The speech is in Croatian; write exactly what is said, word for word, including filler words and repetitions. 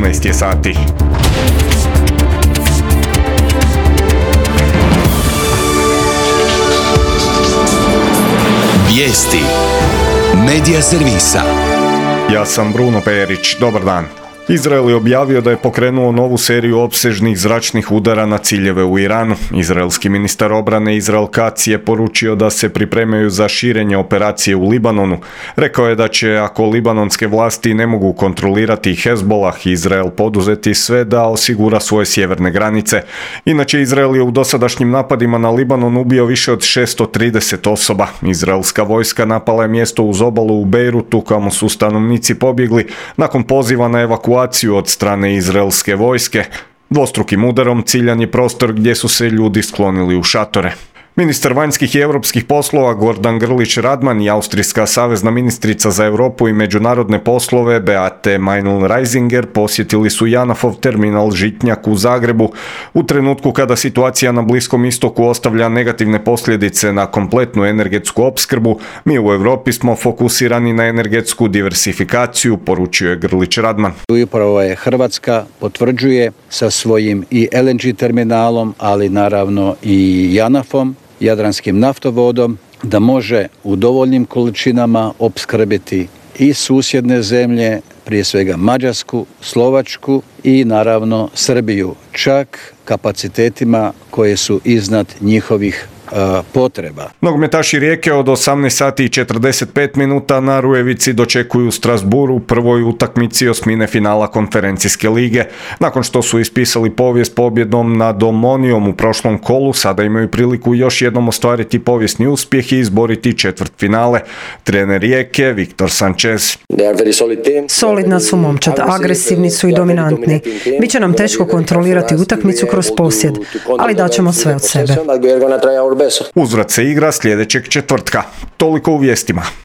četrnaest je sati. Vijesti Medija servisa. Ja sam Bruno Perić, dobar dan. Izrael je objavio da je pokrenuo novu seriju opsežnih zračnih udara na ciljeve u Iranu. Izraelski ministar obrane Israel Katz je poručio da se pripremaju za širenje operacije u Libanonu. Rekao je da će, ako libanonske vlasti ne mogu kontrolirati Hezbollah, Izrael poduzeti sve da osigura svoje sjeverne granice. Inače, Izrael je u dosadašnjim napadima na Libanon ubio više od šesto trideset osoba. Izraelska vojska napala je mjesto uz obalu u Bejrutu, kamo su stanovnici pobjegli nakon poziva na evakuaciju od strane izraelske vojske. Dvostrukim udarom ciljan je prostor gdje su se ljudi sklonili u šatore. Ministar vanjskih i europskih poslova Gordan Grlić Radman i austrijska savezna ministrica za Europu i međunarodne poslove Beate Meinl-Reisinger posjetili su Janafov terminal Žitnjak u Zagrebu u trenutku kada situacija na Bliskom istoku ostavlja negativne posljedice na kompletnu energetsku opskrbu. Mi u Europi smo fokusirani na energetsku diversifikaciju, poručio je Grlić Radman. Upravo je Hrvatska potvrđuje sa svojim i el en ge terminalom, ali naravno i Janafom, Jadranskim naftovodom, da može u dovoljnim količinama opskrbiti i susjedne zemlje, prije svega Mađarsku, Slovačku i naravno Srbiju, čak kapacitetima koje su iznad njihovih potreba. Nogometaši Rijeke od osamnaest sati i četrdeset pet minuta na Rujevici dočekuju Strasbourg u prvoj utakmici osmine finala konferencijske lige. Nakon što su ispisali povijest pobjedom nad Omonijom u prošlom kolu, sada imaju priliku još jednom ostvariti povijesni uspjeh i izboriti četvrtfinale. Trener Rijeke Viktor Sanchez. Solidna su momčad, agresivni su i dominantni. Biće nam teško kontrolirati utakmicu kroz posjed, ali daćemo sve od sebe. Uzvrat se igra sljedećeg četvrtka. Toliko u vijestima.